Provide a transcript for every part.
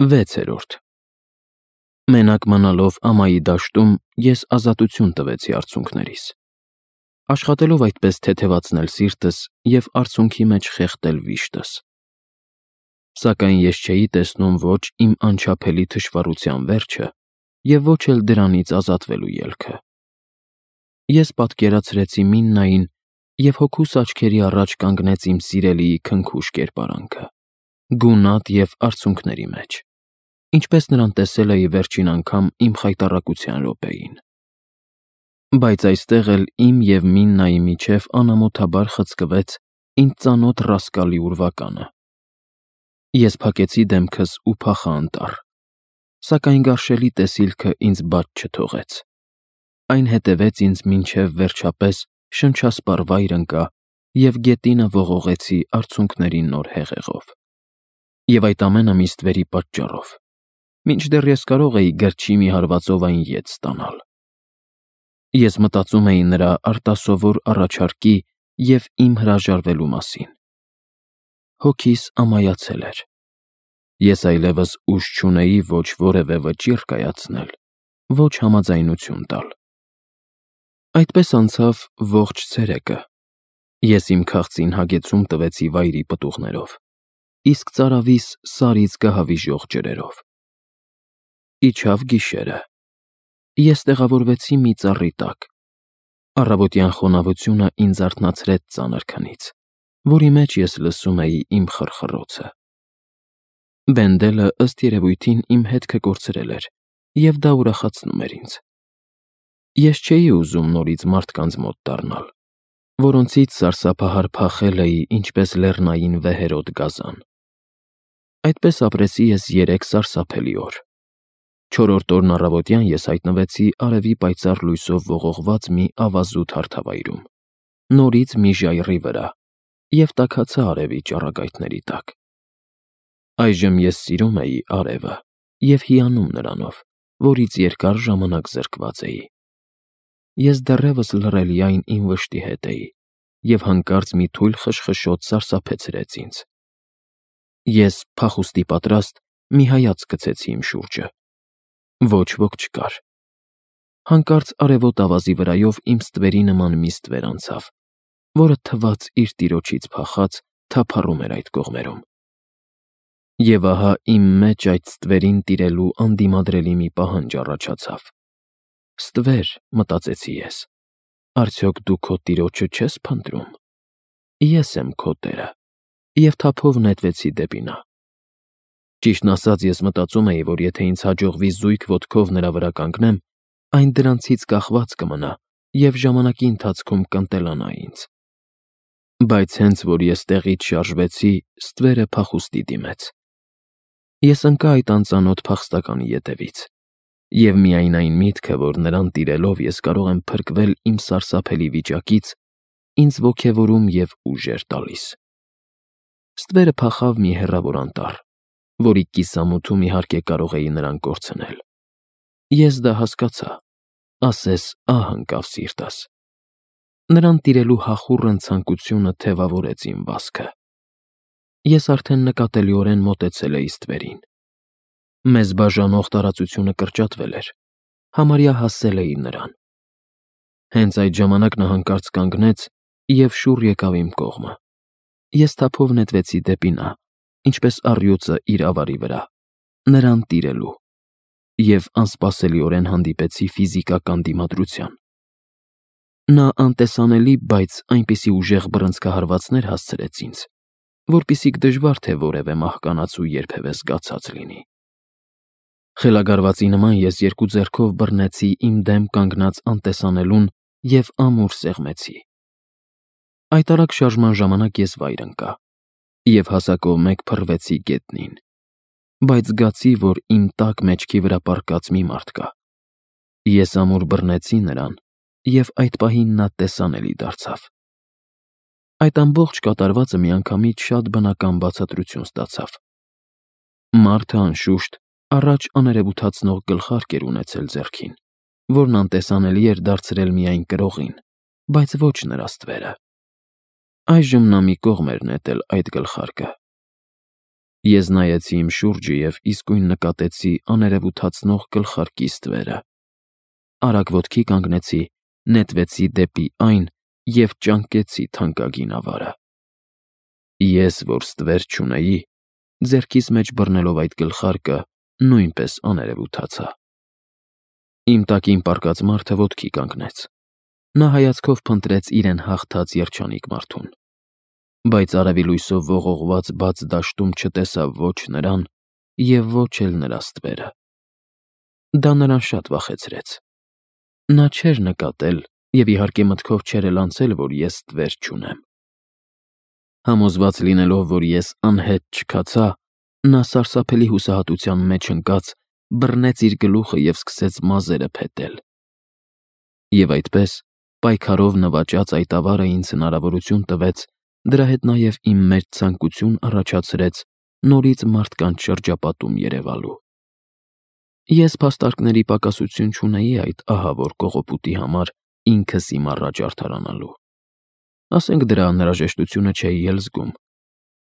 6. Մենակ մնալով ամայի դաշտում ես ազատություն տվեցի արցունքներիս, աշխատելով այդպես թեթևացնել սիրտս և արցունքի մեջ խեղդել վիշտս։ Սակայն ես չէի տեսնում ոչ իմ անչափելի թշվառության վերջը և ոչ էլ դրանից ազատվելու ելքը։ Ես պատկերացրեցի Միննային, և հոգուս աչքերի առաջ կանգնեց իմ սիրելիի քնքուշ կերպարանքը, գունատ և արցունքների մեջ, ինչպես նրան տեսել էի վերջին անգամ իմ խայտառակության րոպեին։ Բայց այստեղ էլ իմ և Միննայի միջև անամոթաբար խցկվեց ինձ ծանոթ ռասկալի ուրվականը։ Ես փակեցի դեմքս ու փախա անտառ, սակայն գարշելի տեսիլքը ինձ բաց չթողեց։ Այն հետևեց ինձ մինչև վերջապես շնչասպառ վայր ընկա և գետինը ողողեցի արցունքների նոր հեղեղով։ Եվ այդ ամենը մի ստվերի պատճառով, մինչդեռ ես կարող էի գրչի մի հարվածով այն ետ ստանալ։ Ես մտածում էի նրա արտասովոր առաջարկի և իմ հրաժարվելու մասին։ Հոգիս ամայացել էր։ Ես այլևս ուժ չունեի ոչ որևէ վճիռ կայացնել, ոչ համաձայնություն տալ։ Այդպես անցավ ողջ ցերեկը։ Ես իմ քաղցին հագեցում տվեցի վայրի պտուղներով, իսկ ծարավիս սարից գահավիժող ջրերով։ Իջավ գիշերը։ Ես տեղավորվեցի մի ծառի տակ։ Առավոտյան խոնավությունը ինձ արթնացրեց ծանր քնից, որի մեջ ես լսում էի իմ խռխռոցը։ Բենդելը, ըստ երևույթին, իմ հետքը կորցրել էր, և դա ուրախացնում էր ինձ։ Ես չէի ուզում նորից մարդկանց մոտ դառնալ, որոնցից սարսափահար փախել էի ինչպես լեռնային վեհերոտ գազան։ Այդպես ապրեցի ես 3 սարսափելի օր։ 4-րդ օրն առավոտյան ես հայտնվեցի արևի պայծառ լույսով ողողված մի ավազուտ հարթավայրում, նորից մի ժայռի վրա, և տաքացա արևի ճառագայթների տակ։ Այժմ ես սիրում էի արևը և հիանում նրանով, որից երկար ժամանակ զրկված էի։ Ես դեռևս լռելիայն իմ վշտի հետ էի, և հանկարծ մի թույլ խշխշոտ սարսափեցրեց ինձ։ Ես, փախուստի պատրաստ, մի հայացք գցեցի իմ շուրջը։ Ոչ ոք չկար։ Հանկարծ արևոտ ավազի վրայով իմ ստվերի նման մի ստվեր անցավ, որը թվաց իր տիրոջից փախած թափառում էր այդ կողմերում։ Եվ ահա իմ մեջ այդ ստվերին տիրելու անդիմադրելի մի պահանջ առաջացավ։ «Ստվեր», մտածեցի ես, «արդյոք դու քո տիրոջը չես փնտրում։ Ես եմ քո տերը», և թափով նետվեցի դեպի նա։ Ճիշտն ասած, ես մտածում էի, որ եթե ինձ հաջողվի զույգ ոտքով նրա վրա կանգնեմ, այն դրանցից կախված կմնա և ժամանակի ընթացքում կընտելանա ինձ։ Բայց հենց որ ես տեղից շարժվեցի, ստվերը փախուստի դիմեց։ Ես ընկա այդ անծանոթ փախստականի ետևից, և միայն այն միտքը, որ նրան տիրելով ես կարող եմ փրկվել իմ սարսափելի վիճակից, ինձ ոգևորում և ուժ էր տալիս։ Ստվերը փախավ մի հեռավոր անտառ, որի կիսամութում իհարկե կարող էի նրան կորցնել։ Ես դա հասկացա, ասես ահ ընկավ սիրտս։ Նրան տիրելու հախուռն ցանկությունը թևավորեց իմ վազքը։ Ես արդեն նկատելիորեն մոտեցել էի ստվերին։ Մեզ բաժանող տարածությունը կրճատվել էր, համարյա հասել էի նրան։ Հենց այդ ժամանակ նա հանկարծ կանգնեց և շուռ եկավ իմ կողմը։ Ես թափով նետվեցի դեպի նա, ինչպես առյուծը իր ավարի վրա, նրան տիրելու, և անսպասելիորեն հանդիպեցի ֆիզիկական դիմադրության։ Նա անտեսանելի, բայց այնպիսի ուժեղ բռնցքահարվածներ հասցրեց ինձ, որպեսզի դժվար թե որևէ մահկանացու երբևէ զգացած լինի։ Խելագարվածի նման ես 2 ձեռքով բռնեցի իմ դեմ կանգնած անտեսանելուն և ամուր սեղմեցի։ Այդ արագ շարժման ժամանակ ես վայր ընկա և հասակով մեկ փռվեցի գետնին, բայց զգացի, որ իմ տաք մեջքի վրա պառկած մի մարդ կա։ Ես ամուր բռնեցի նրան, և այդ պահին նա տեսանելի դարձավ։ Այդ ամբողջ կատարվածը միանգամից շատ բնական բացատրություն ստացավ։ Մարդը, անշուշտ, առաջ աներևութացնող գլխարկ էր ունեցել ձեռքին, որն անտեսանելի էր դարձրել միայն կրողին, բայց ոչ նրա ստվերը։ Այժմ նա մի կողմ էր նետել այդ գլխարկը։ Ես նայեցի իմ շուրջը և իսկույն նկատեցի աներևութացնող գլխարկի ստվերը։ Արագ ոտքի կանգնեցի, նետվեցի դեպի այն և ճանկեցի թանկագին ավարը։ Ես, որ ստվեր չունեի, ձեռքիս մեջ բռնելով այդ գլխարկը, նույնպես աներևութացա։ Իմ տակին պառկած մարդը ոտքի կանգնեց։ Նա հայացքով փնտրեց իրեն հաղթած երջանիկ մարդուն, բայց արևի լույսով ողողված բաց դաշտում չտեսավ ոչ նրան և ոչ էլ նրա ստվերը։ Դա նրան շատ վախեցրեց։ Նա չէր նկատել և իհարկե մտքով չէր էլ անցել, որ ես ստվեր չունեմ։ Համոզված լինելով, որ ես անհետ չքացա, նա սարսափելի հուսահատության մեջ ընկած բռնեց իր գլուխը և սկսեց մազերը փետել։ Եվ այդպես, պայքարով նվաճած այդ ավարը ինձ հնարավորություն տվեց, դրա հետ նաև իմ մեջ ցանկություն առաջացրեց նորից մարդկանց շրջապատում երևալու։ Ես փաստարկների պակասություն չունեի այդ ահավոր կողոպուտի համար ինքս իմ առաջ արդարանալու։ Ասենք դրա անհրաժեշտությունը չէի էլ զգում,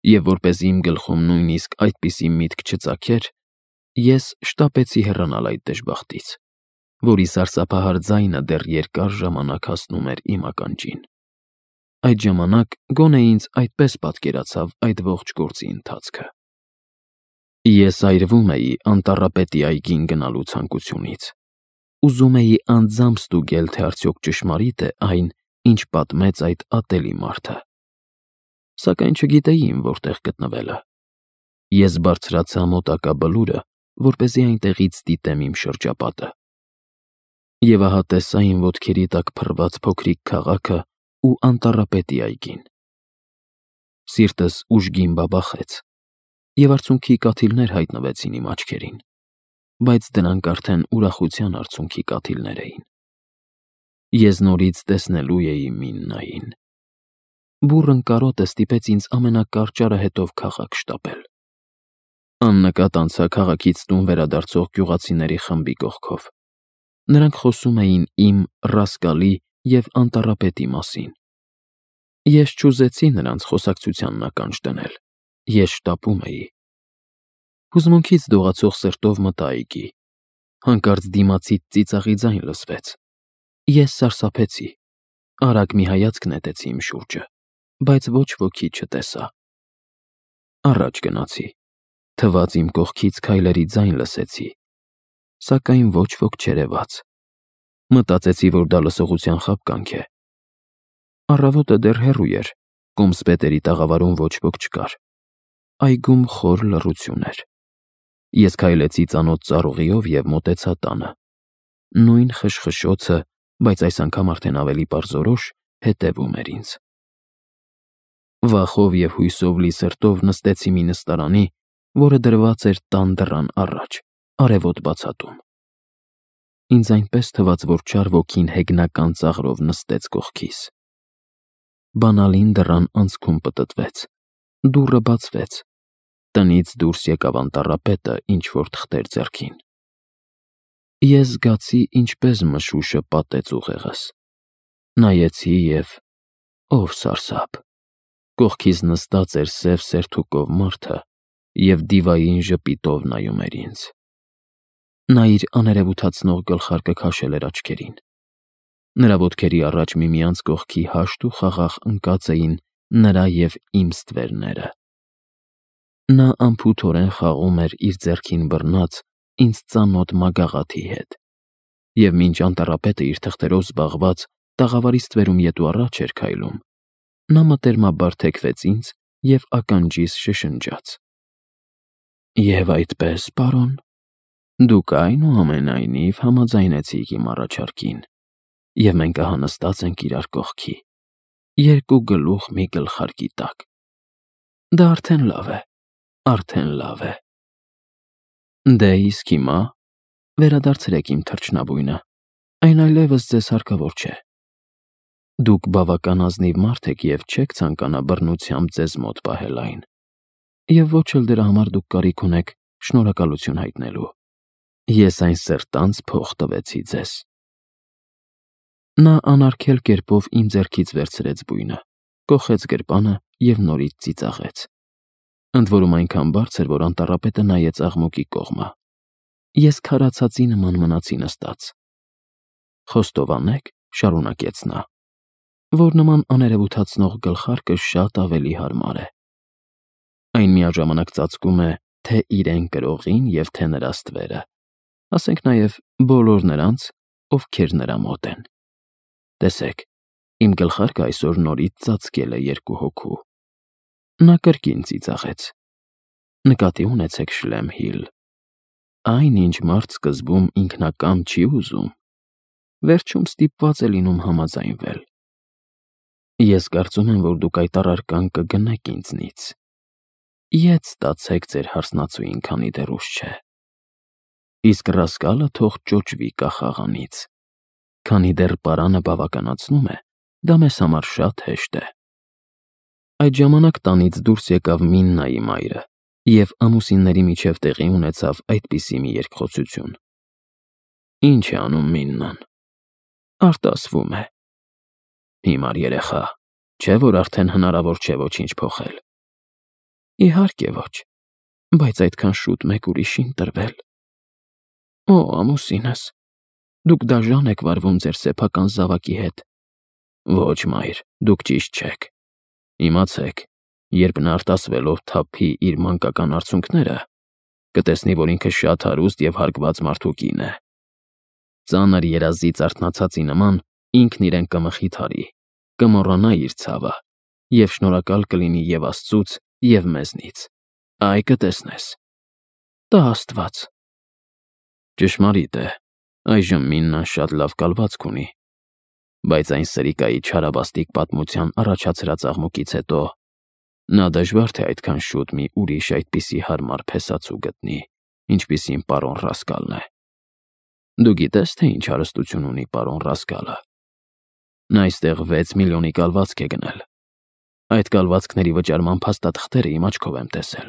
և որպեսզի իմ գլխում նույնիսկ այդպիսի միտք չծագեր, ես շտապեցի հեռանալ այդ դժբախտից, որի սարսափահար ձայնը դեռ երկար ժամանակ հասնում էր իմ ականջին։ Այդ ժամանակ գոնե ինձ այդպես պատկերացավ այդ ողջ գործի ընթացքը։ Ես այրվում էի անտառապետի այգին գնալու ցանկությունից։ Ուզում էի անձամբ ստուգել, թե արդյոք ճշմարիտ է այն, ինչ պատմեց այդ ատելի մարդը։ Սակայն չգիտեի իմ որտեղ գտնվելը։ Ես բարձրացա մոտակա բլուրը, որպեսզի այնտեղից դիտեմ իմ շրջապատը։ Եվ ահա տեսա իմ ոտքերի տակ փռված փոքրիկ քաղաքը ու անտառապետի այգին։ Սիրտս ուժգին բաբախեց, և արցունքի կաթիլներ հայտնվեցին իմ աչքերին, բայց դրանք արդեն ուրախության արցունքի կաթիլներ էին։ Ես նորից տեսնելու էի Միննային։ Բուռն կարոտը ստիպեց ինձ ամենակարճ արահետով քաղաք շտապել։ Աննկատ անցա քաղաքից տուն վերադարձող գյուղացիների խմբի կողքով։ Նրանք խոսում էին իմ Ռասկալի և անտառապետի մասին։ Ես չուզեցի նրանց խոսակցությանն ականջ դնել։ Ես շտապում էի։ Հուզմունքից դողացող սրտով մտա այգի։ Հանկարծ դիմացից ծիծաղի ձայն լսվեց։ Ես սարսափեցի։ Արագ մի հայացք նետեցի իմ շուրջը, բայց ոչ ոքի չտեսա։ Առաջ գնացի։ Թվաց իմ կողքից քայլերի ձայն լսեցի, սակայն ոչ ոք չերևաց։ Մտածեցի, որ դա լսողության խաբկանք է։ Առավոտը դեռ հեռու էր, կոմսպետերի տաղավարում ոչ ոք չկար։ Այգում խոր լռություն էր։ Ես քայլեցի ծանոթ ծառուղիով և մոտեցա տանը։ Նույն խշխշոցը, բայց այս անգամ արդեն ավելի պարզորոշ, հետևում էր ինձ։ Վախով և հույսով լի սրտով նստեցի մի նստարանի, որը դրված էր տան դռան առաջ, արևոտ բացատում։ Ինձ այնպես թվաց, որ չար ոգին հեգնական ծաղրով նստեց կողքիս։ Բանալին դռան անցքում պտտվեց։ Դուռը բացվեց։ Տնից դուրս եկավ անտառապետը ինչ-որ թղթեր ձեռքին։ Ես զգացի, ինչպես մշուշը պատեց ուղեղս։ Նայեցի և… ով սարսափ… Կողքիս նստած էր սև սերթուկով մարդը և դիվային ժպիտով նայում էր ինձ։ Նա իր աներևութացնող գլխարկը քաշել էր աչքերին։ Նրա ոտքերի առաջ միմյանց կողքի հաշտ ու խաղաղ ընկած էին նրա և իմ ստվերները։ Նա անփութորեն խաղում էր իր ձեռքին բռնած ինձ ծանոթ մագաղաթի հետ, և մինչ անտառապետը իր թղթերով զբաղված տաղավարի ստվերում ետ ու առաջ էր քայլում, նա մտերմաբար թեքվեց ինձ և ականջիս շշնջաց. «Եվ այդպես, պարոն, դուք այնուամենայնիվ համաձայնեցիք իմ առաջարկին, և մենք ահա նստած ենք իրար կողքի, երկու գլուխ մի գլխարկի տակ։ Դա արդեն լավ է, արդեն լավ է։ Դե իսկ հիմա վերադարձրեք իմ թռչնաբույնը, այն այլևս ձեզ հարկավոր չէ։ Դուք բավական ազնիվ մարդ եք և չեք ցանկանա բռնությամբ ձեզ մոտ պահել այն, և ոչ էլ դրա համար դուք կարիք ունեք շնորհակալություն հայտնելու։ Ես այն սրտանց փող տվեցի ձեզ»։ Նա անարգել կերպով իմ ձեռքից վերցրեց բույնը, կոխեց գրպանը և նորից ծիծաղեց։ ընդ որում այնքան բարձր, որ անտառապետը նայեց աղմուկի կողմը։ Ես քարացածի նման մնացի նստած։ Խոստովանեք, շարունակեց նա, որ նման աներևութացնող գլխարկը շատ ավելի հարմար է։ Այն միաժամանակ ծածկում է թե իրեն կրողին և թե նրա ստվերը, ասենք նաև բոլոր նրանց, ովքեր նրա մոտ են։ Տեսեք, իմ գլխարկը այսօր նորից ծածկել է երկու հոգու։ Նա կրկին ծիծաղեց։ Նկատի ունեցեք, Շլեմհիլ, այն, ինչ մարդ սկզբում ինքնակամ չի ուզում, վերջում ստիպված է լինում համաձայնվել։ Ես կարծում եմ, որ դուք այդ առարկան կգնեք ինձնից։ Ետ ստացեք ձեր հարսնացուին, քանի դեռ ուշ չէ։ Իսկ Ռասկալը թող ճոճվի կախաղանից, քանի դեռ պարանը բավականացնում է, դա մեզ համար շատ հեշտ է։ Այդ ժամանակ տանից դուրս եկավ Միննայի մայրը, և ամուսինների միջև տեղի ունեցավ այդպիսի մի երկխոսություն։ Ինչ է անում Միննան։ Արտասվում է։ Հիմար երեխա, չէ՞ որ արդեն հնարավոր չէ ոչինչ փոխել։ Իհարկե ոչ, բայց այդքան շուտ մեկ ուրիշին տրվել։ Օ, ամուսինս, դուք դաժան եք վարվում ձեր սեփական զավակի հետ։ Ոչ, մայր, դուք ճիշտ չեք։ Իմացեք, երբ նա արտասվելով թափի իր մանկական արցունքները, կտեսնի, որ ինքը շատ հարուստ և հարգված մարդու կին է։ Ծանր երազից արթնացածի նման ինքն իրեն կմխիթարի, կմոռանա իր ցավը և շնորհակալ կլինի և Աստծուց, և մեզնից։ Այ կտեսնես։ Տա Աստված։ Ճշմարիտ է, այժմ Միննան շատ լավ կալվածք ունի, բայց այն սրիկայի չարաբաստիկ պատմության առաջացրած աղմուկից հետո նա դժվար թե այդքան շուտ մի ուրիշ այդպիսի հարմար փեսացու գտնի, ինչպիսին պարոն Ռասկալն է։ Դու գիտե՞ս, թե ինչ հարստություն ունի պարոն Ռասկալը։ Նա այստեղ 6 միլիոնի կալվածք է գնել։ Այդ կալվածքների վճարման փաստաթղթերը իմ աչքով եմ տեսել։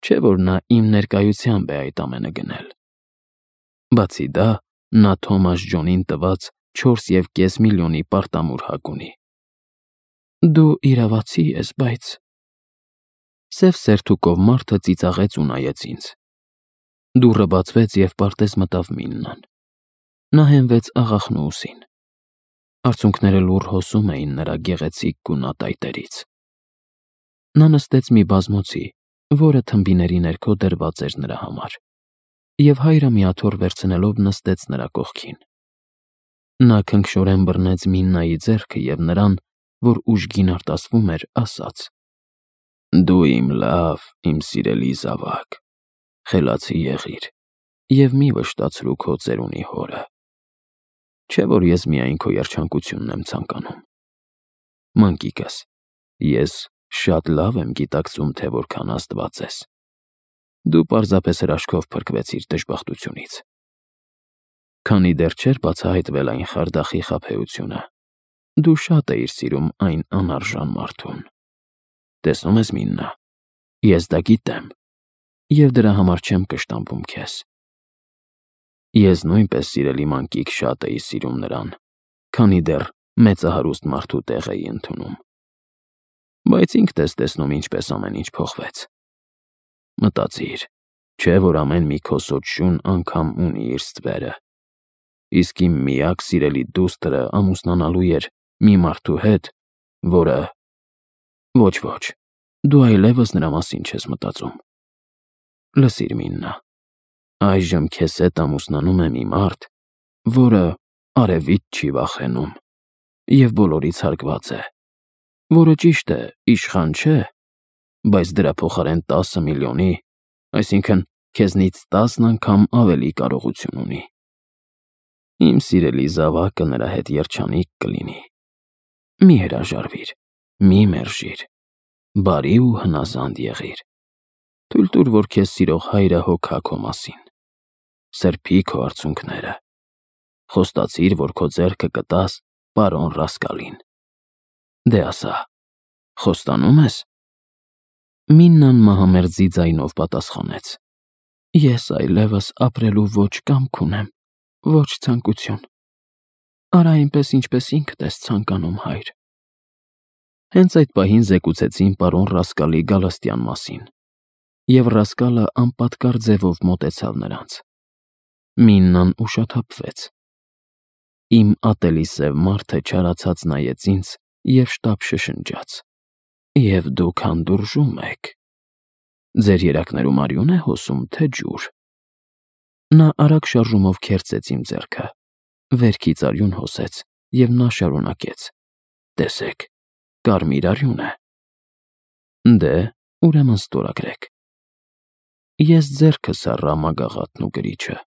Չէ՞ որ նա իմ ներկայությամբ է այդ ամենը գնել։ Բացի դա, նա Թոմաս Ջոնին տված 4,5 միլիոնի պարտամուր հակ ունի։ Դու իրավացի ես, բայց… Սև սերթուկով մարդը ծիծաղեց ու նայեց ինձ։ Դուռը բացվեց և պարտեզ մտավ Միննան։ Նա հենվեց աղախնու ուսին։ Արցունքները լուռ հոսում էին նրա գեղեցիկ գունատայտերից։ Նա նստեց մի բազմոցի, որը թմբիների ներքո դրված էր նրա համար, և հայրը մի աթոռ վերցնելով նստեց նրա կողքին։ Նա քնքշորեն բռնեց Միննայի ձեռքը և նրան, որ ուժգին արտասվում էր, ասաց. Դու իմ լավ, իմ սիրելի զավակ, խելացի եղիր և մի վշտացրու քո ծերունի հորը։ Չէ՞ որ ես միայն քո երջանկությունն եմ ցանկանում։ Մանկիկս, ես շատ լավ եմ գիտակցում, թե որքան աստված ես։ Դու պարզապես հրաշքով փրկվեցիր դժբախտությունից։ Քանի դեռ չէր բացահայտվել այն խարդախի խաբեությունը, դու շատ էիր սիրում այն անարժան մարդուն։ Տեսնում ես, Միննա, ես դա գիտեմ, և դրա համար չեմ կշտամբում քեզ։ Ես նույնպես, սիրելի մանկիկ, շատ էի սիրում նրան, քանի դեռ մեծահարուստ մարդու տեղ էի ընդունում։ Բայց ինքդ ես տեսնում ինչպես ամեն ինչ փոխվեց։ Մտածիր, չէ՞ որ ամեն մի քոսոտ շուն անգամ ունի իր ստվերը։ Իսկ իմ միակ սիրելի դուստրը ամուսնանալու էր մի մարդու հետ, որը… Ոչ, դու այլևս նրա մասին չես մտածում։ Լսիր, Միննա, այժմ քեզ հետ ամուսնանում է մի մարդ, որը արևից չի վախենում և բոլորից հարգված է, որը, ճիշտ է, իշխան չէ, բայց դրա փոխարեն 10 միլիոնի, այսինքն քեզնից 10 անգամ ավելի կարողություն ունի։ Իմ սիրելի զավակը նրա հետ երջանիկ կլինի։ Մի հրաժարվիր, մի մերժիր, բարի ու հնազանդ եղիր։ Թույլ տուր, որ քեզ սիրող հայրը հոգա քո մասին։ Սրբի քո արցունքները։ Խոստացիր, որ քո ձեռքը կտաս պարոն Ռասկալին։ Դե ասա, խոստանո՞ւմ ես։ Միննան մահամերձի ձայնով պատասխանեց. Ես այլևս ապրելու ոչ կամք ունեմ, ոչ ցանկություն։ Արա այնպես, ինչպես ինքդ ես ցանկանում, հայր։ Հենց այդ պահին զեկուցեցին պարոն Ռասկալի Գալստյան մասին, և Ռասկալը անպատկար ձևով մոտեցավ նրանց։ Միննան ուշաթափվեց։ Իմ ատելի սև մարդը չարացած նայեց ինձ և շտապ շշնջաց. «Եվ դուք հանդուրժում եք։ Ձեր երակներում արյու՞ն է հոսում, թե ջուր»։ Նա արագ շարժումով քերծեց իմ ձեռքը, վերքից արյուն հոսեց, և նա շարունակեց. «Տեսեք, կարմիր արյուն է»։ Դե, ուրեմն ստորագրեք։ Ես ձեռքը սառա մագաղաթն ու կրիչը։